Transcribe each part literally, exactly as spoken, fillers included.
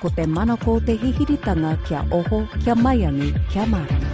Ko te manako o te hihiritanga kia oho, kia maiangi, kia mārama.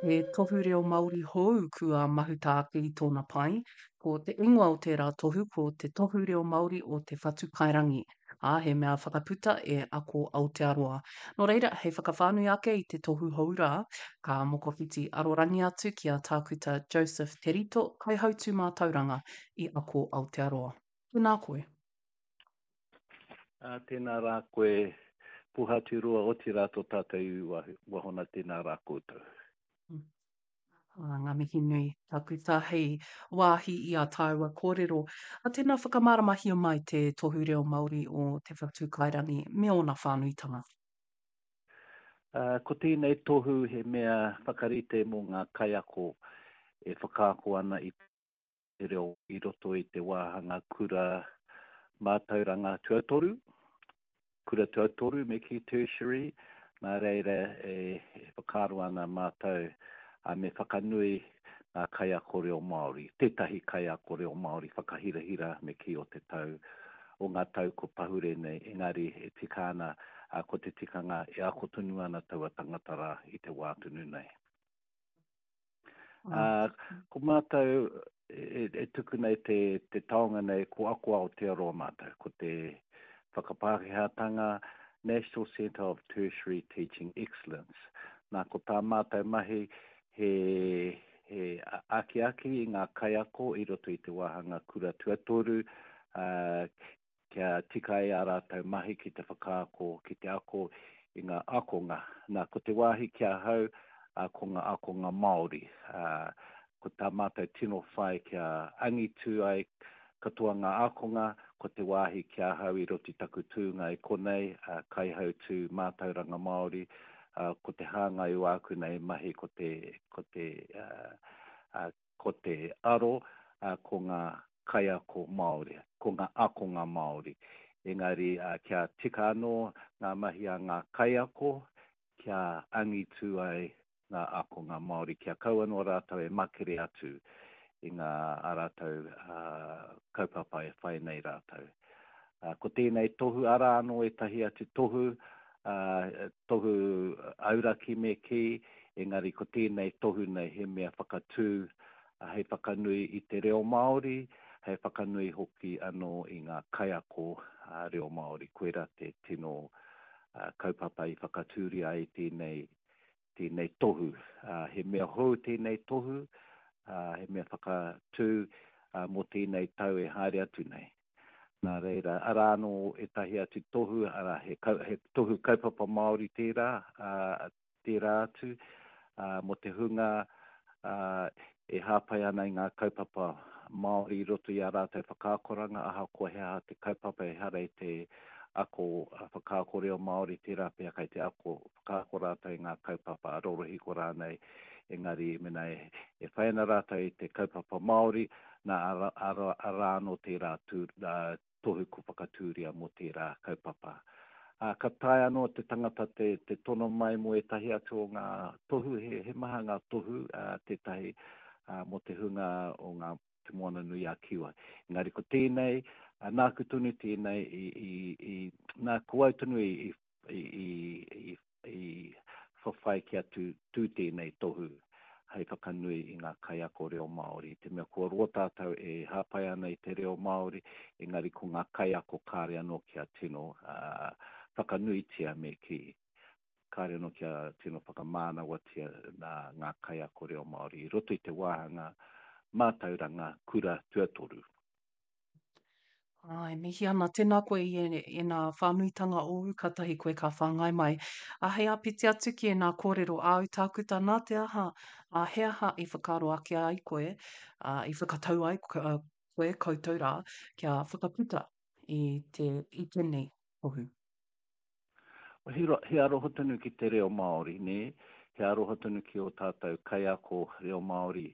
He tohu reo Māori hou kua mahuta ake i tōna pae. Ko te ingoa o tērā tohu ko Te Tohu Reo Māori o Te Whatu Kairangi, ā, he mea whakaputa e Ako Aotearoa. Nō reira, hei whakawhānui ake i te tohu hou rā, ka mokowhiti arorangi atu ki a Tākuta Joseph Te Rito, Kaihautū Mātauranga i Ako Aotearoa. Tēnā koe. Ā, tēnā rā koe, Puhaturoa, otirā tō tātou iwi wahona, tēnā rā koutou. Ā, ngā mihi nui, Tākuta, hei wāhi i ā tāua kōrero. Ā, tēnā whakamāramahia mai te Tohu Reo Māori o Te Whatu Kairangi me ōna whānuitanga. Ā, ko tēnei tohu he mea whakarite mō ngā kaiako e whakaako ana i te reo i roto i te wāhanga kura mātauranga tuatoru, kura tuatoru me kī tertiary, nā reira e, e whakaaro ana mātou a me whakanui ngā kaiako reo Māori, tētahi kaiako reo Māori whakahirahira me kī o te tau, o ngā tau ko pahure nei, engari e tika ana, a, ko te tikanga e ako tonu ana taua tangata rā i te wā tonu nei. Ā, ko mātou e, e tuku nei te, te taonga nei, ko Ako Aotearoa mātou, ko te whakapākehātanga National Centre of Tertiary Teaching Excellence. Nā, ko tā mātou mahi he, he akiaki i ngā kaiako i roto i te wāhanga kura tuatoru, ā, kia tika ai ā rātou mahi ki te whakaako, ki te ako i ngā ākonga. Nā, ko te wāhi ki ahau, ā, ko ngā ākonga Māori. Ā, ko tā mātou tino whai kia angitu ai katoa ngā ākonga, ko te wāhi ki ahau i roto i taku tūnga i konei, ā, kaihautū mātauranga Māori, ā, ko te hāngai o āku nei mahi ko te, ko te, ā, ā, ko te aro, ā, ko ngā kaiako Māori, ko ngā ākonga Māori. Engari kia tika anō ngā mahi a ngā kaiako kia angitu ai ngā ākonga Māori, kia kaua noa rātou e makere atu i ngā ā rātou kaupapa e whai nei rātou. Ko tēnei tohu, arā anō ētahi atu tohu, tohu auraki me kī, engari ko tēnei tohu nei he mea whakatū hei whakanui i te reo Māori, hei whakanui hoki anō i ngā kaiako reo Māori. Koirā te tino kaupapa i whakatūria ai tēnei, tēnei tohu. He mea hou tēnei tohu, he mea whakatū mō tēnei tau e haere atu nei. Nā reira, arā anō ētahi atu tohu, arā, he, he tohu kaupapa Māori tērā, ā, tērā atu, ā, mō te hunga, ā, e hāpai ana i ngā kaupapa Māori i roto i ā rātou whakaakoranga, ahakoa he aha te kaupapa ehara i te ako whakaako reo Māori, tērā pea kei te ako whakaako rātou i ngā kaupapa ā-rorohiko rānei, engari mēnā e, e whai ana rātou i te kaupapa Māori, nā, arā, arā, arā anō tērā tū, tohu kua whakatūria mō tērā kaupapa. Ā, ka taea anō te tangata te, te tono mai mō ētahi atu o ngā tohu, he, he maha ngā tohu, ā, tētahi ā, mō te hunga o ngā Te Moana-nui-a-Kiwa. Engari ko tēnei, ā, nāku tonu tēnei i, i, i, nā, ko au tonu i, i i, i, i whawhai kia tū, tū tēnei tohu hei whakanui i ngā kaiako reo Māori. I te mea kua roa tātou e hāpai ana i te reo Māori, engari ko ngā kaiako kāre anō kia tino uh, whakanuitia me kī. Kāre anō kia tino whakamānawatia nā ngā kaiako reo Māori i roto i te wāhanga mātauranga kura tuatoru. Āe, mihi ana. Tēnā koe i ēnā whānuitanga ōu, kātahi koe ka whāngai mai. Ā, hei āpiti atu ki ēnā kōrero āu, Tākuta, nā te aha, ā, he aha i whakaaro ake ai koe, ā, i whakatau ai koe, koutou rā, kia whakaputa i te, i tēnei tohu? He, he aroha tonu ki te reo Māori, nē? He aroha tonu ki ō tātou kaiako reo Māori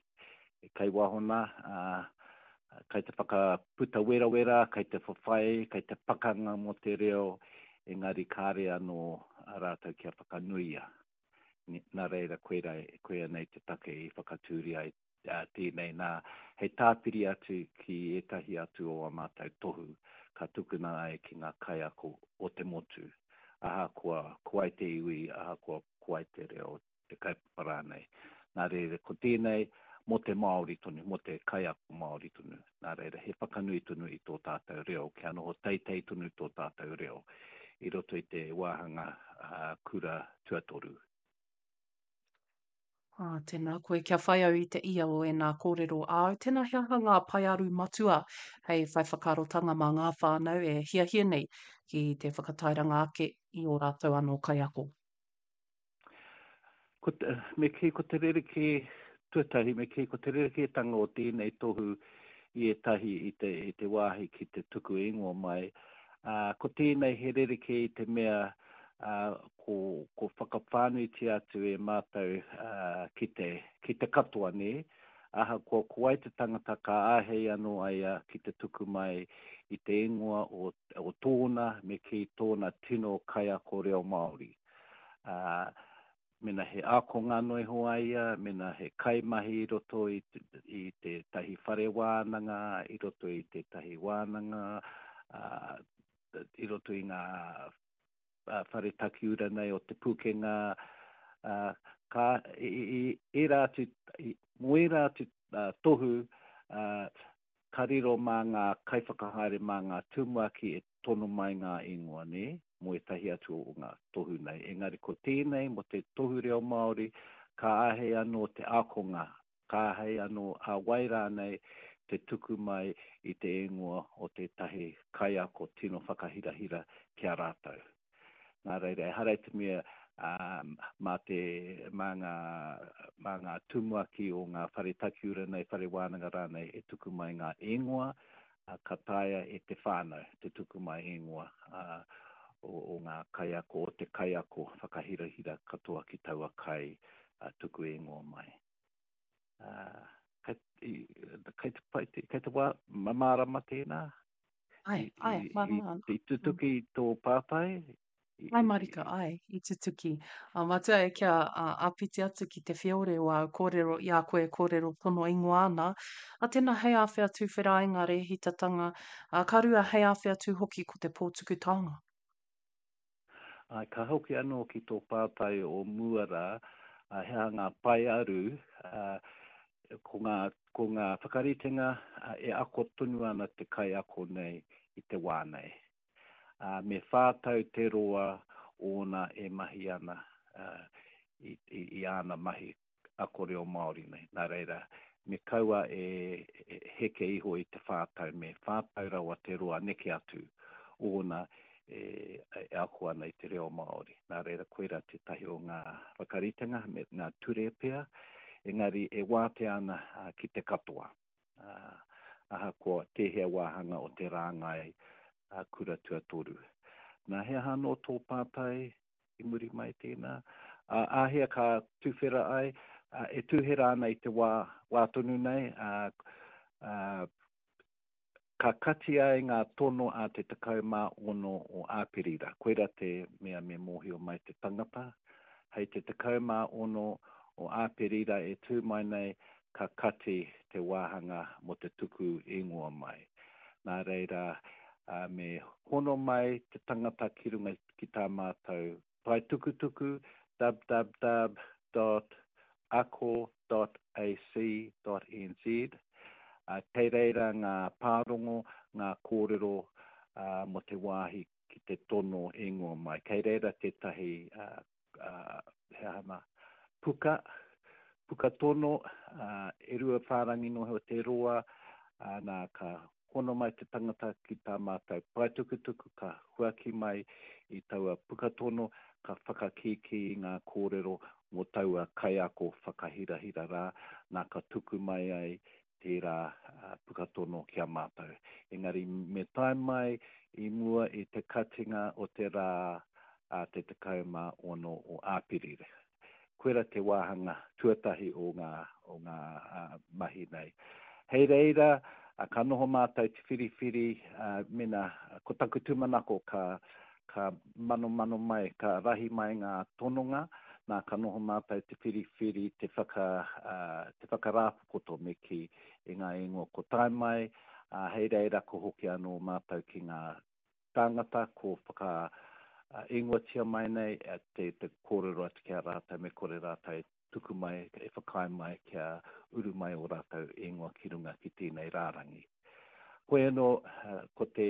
kei waho nā, ā, kai te whakaputa werawera, kai te whawhai, kai te pakanga mō te reo, engari kāre anō a rātou kia whakanuia. Nā reira, koira, koia nei te take i whakatūria ai Tēnei nā, hei tāpiri atu ki ētahi atu o ā mātou tohu ka tukuna ai ki ngā kaiako o te motu, ahakoa ko wai te iwi, ahakoa ko wai te reo, te kaupapa rānei. Nā reira, ko tēnei mō te Māori tonu, mō te kaiako Māori tonu. Nā reira, he whakanui tonu i tō tātou reo, kia noho teitei tonu tō tātou reo i roto i te wāhanga kura tuatoru. Ā, tēnā koe, kia whai au i te ia o ēnā kōrero āu, tēnā he aha ngā paearu matua hei whai whakaarotanga mā ngā whānau e hiahia nei ki te whakatairanga ake i ō rātou anō kaiako? Ko te, me kī ko te rerekē, tuatahi, me kī ko te rerekētanga o tēnei tohu i ētahi i te, i te wāhi ki te tuku ingoa mai, ā, ko tēnei he rerekē i te mea, ā, ko, ko whakawhānuitia atu e mātou, ā, ki te, ki te katoa, nē, ahakoa ko wai te tangata ka āhei anō a ia ki te tuku mai i te ingoa o, o tōna, me kī tōna tino kaiako reo Māori. Ā, mena he ākonga noa iho a ia, mena he kaimahi i roto i, i tētahi whare wānanga, i roto i tētahi wānanga, ā, i roto i ngā whare takiura nei o Te Pūkenga, ā, ka, i, i, ērā atu, i, mō ērā atu tohu, ā, ka riro mā ngā kaiwhakahaere, mā ngā tumuaki e tono mai ngā ingoa, nē, mō ētahi atu o ngā tohu nei. Engari ko tēnei, mō te tohu reo Māori, ka āhei anō te ākonga, ka āhei anō a wai rānei te tuku mai i te ingoa o tētahi kaiako tino whakahirahira ki a rātou. Nā reira, ehara i te mea mā te, mā ngā, mā ngā tumuaki o ngā whare takiura nei, whare wānanga rānei e tuku mai ngā ingoa, ka taea e te whānau te tuku mai ingoa o, o ngā kaiako, o te kaiako whakahirahira katoa ki taua kai tuku ingoa mai. Kei, kei te pai, kei te wā, mārama tēnā? Ai, ai, mārama ana. I tutuki tō pātai? Ai marika, ai, i tutuki. A, matua e kia āpiti atu ki te whiore o āu kōrero i a koe e kōrero tono ingoa ana, a tēnā hei āwhea tuwhera ai ngā rēhitatanga, a, ka rua hei āwhea tū hoki ko te pō tuku taonga. Ai, ka hoki anō ki tō pātai o mua rā, a, he aha ngā paearu, a, ko ngā, ko ngā whakaritenga a, e ako tonu ana te kaiako nei i te wā nei. Ā, me whā tau te roa ōna e mahi ana i, i, i āna mahi ako reo Māori nei. Nā reira, me kaua e heke iho i te whā tau, me whā tau rawa te roa neke atu ōna e, e ako ana i te reo Māori. Nā reira, koirā tētahi o ngā whakaritenga me ngā ture pea, engari e wātea ana ki te katoa. Ahakoa tēhea wāhanga o te rāngai kura tuatoru. Nā, he aha anō tō pātai i muri mai tēnā? Āhea ka tuwhera ai? E tuhera ana i te wā, wā tonu nei, ā, ā, ka kati ai ngā tono a te tekau mā ono o Āperira. Koirā te mea me mōhio mai te tangata. Hei te tekau mā ono o Āperira e tū mai nei, ka kati te wāhanga mō te tuku ingoa mai. Nā reira, me hono mai te tangata ki runga ki tā mātou pae tukutuku, www dot ako dot ac dot nz, kei reira ngā pārongo, ngā kōrero mō te wāhi ki te tono ingoa mai. Kei reira tētahi he aha nā, puka, puka tono, e rua whārangi noa iho te roa, nā, ka hono mai te tangata ki tā mātou paetukutuku, ka huaki mai i taua puka tono, ka whakakīkī i ngā kōrero mō taua kaiako whakahirahira rā, nā, ka tuku mai ai tērā puka tono ki a mātou. Engari me tae mai i mua i te katinga o te rā a te tekau mā ono o Āperira. Koira te wāhanga tuatahi o ngā, o ngā mahi nei. Hei reira, ka noho mātou te whiriwhiri, mena, ko taku tūmanako ka, ka manomano mai, ka rahi mai ngā tononga, Nā, ka noho mātou te whiriwhiri, te whaka, uh, te whakarāpopoto me kī i ngā ingoa ko tae mai, uh, hei reira ko hoki anō mātou ki ngā tāngata ko whaka uh, ingoatia mai nei, te, te kōrero atu ki a rātou, me kore rātou e tuku mai, e whakaae mai kia uru mai o rātou ingoa ki runga ki tēnei rārangi. Koe anō, uh, ko te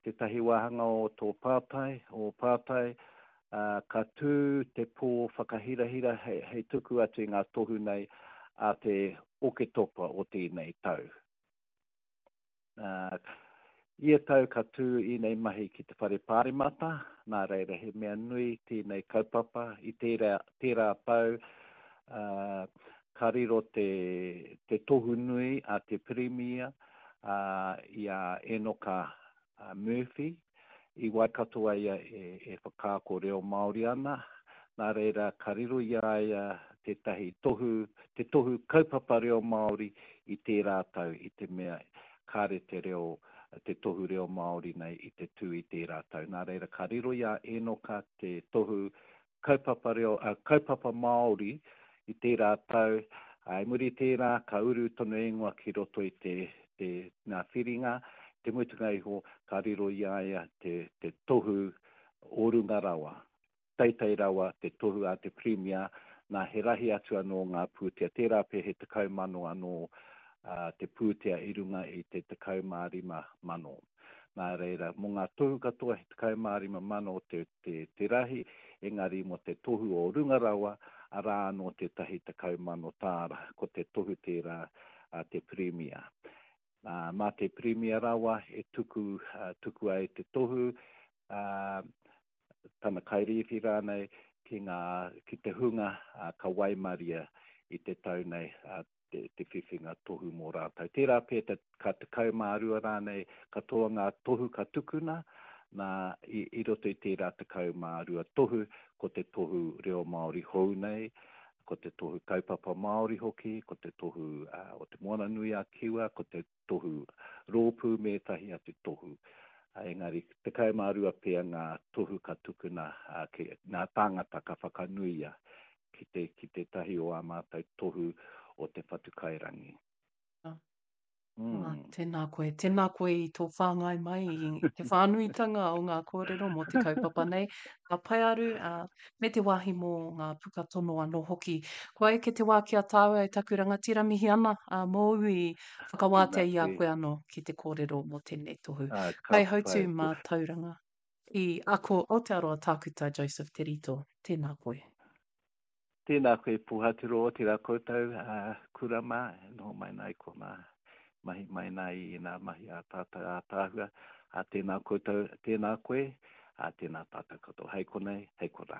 tētahi wāhanga o tō pātai, o pātai, uh, ka tū te pō whakahirahira hei, hei tuku atu i ngā tohu nei a te Oketopa o tēnei tau. Uh, ia tau ka tū ēnei mahi ki te whare pāremata, nā reira he mea nui tēnei kaupapa i tērā, tērā tau, uh, ka riro te, te tohu nui a te Pirimia uh, i a Enoka Murphy, i Waikato a ia e, e whakaako reo Māori ana, nā reira ka riro i a ia tētahi tohu, te tohu kaupapa reo Māori i tērā tau, i te mea kāre te reo, te tohu reo Māori nei i te tū i tērā tau. Nā reira ka riro i a Enoka te tohu kaupapa reo, uh, kaupapa Māori i tērā tau, i muri tērā ka uru tonu ingoa ki roto i te, te ngā whiringa, te mutunga iho ka riro i a ia te, te tohu o runga rawa. Teitei rawa te tohu a te Pirimia, nā he rahi atu anō ngā pūtea. Tērā pea he tekau mano anō uh, te pūtea i runga i te tekau mā rima mano. Nā reira, mō ngā tohu katoa he tekau mā rima mano te, te, te rahi, engari mō te tohu o runga rawa, arā anō tētahi tekau mano tāra, ko te tohu tērā uh, te Pirimia. Uh, mā te Pirimia rawa e tuku, uh, tuku ai te tohu, uh, tana kairīwhi rānei, ki, ngā, ki te hunga uh, ka waimaria i te tau nei uh, te, te whiwhinga tohu mō rātou. Tērā pea te, ka tekau mā rua rānei katoa ngā tohu ka tukuna, nā, i, i roto i tērā tekau mā rua tohu, ko te tohu reo Māori hou nei, ko te tohu kaupapa Māori hoki, ko te tohu uh, o te Moana Nui a Kiwa, ko te tohu rōpū me ētahi atu tohu. Engari, tekau mā rua pea ngā tohu ka tukuna uh, ki, ngā tāngata ka whakanuia ki te, ki te tahi o ā mātou tohu o te Whatukairangi. Mm. Ah, tēnā koe, tēnā koe i tō whāngai mai i te whānuitanga o ngā kōrero mō te kaupapa nei, ngā paearu, uh, me te wāhi mō ngā puka tono anō hoki. Kua eke te wā ki a tāua e taku rangatira mihi ana, uh, mōu i whakawātea i a koe anō ki te kōrero mō tēnei tohu. Ah, ka Kaihautū pai. mātauranga i Ako Aotearoa Tākuta Joseph Te Rito, tēnā koe. Tēnā koe Pōhatiro, tērā koutou, uh, kura mā, noho mai nā i konā, mahi mai nā i ngā mahi a tātou ātaahua. A tēnā koutou, tēnā koe, a tēnā tātou katoa. Hei konei, hei konā.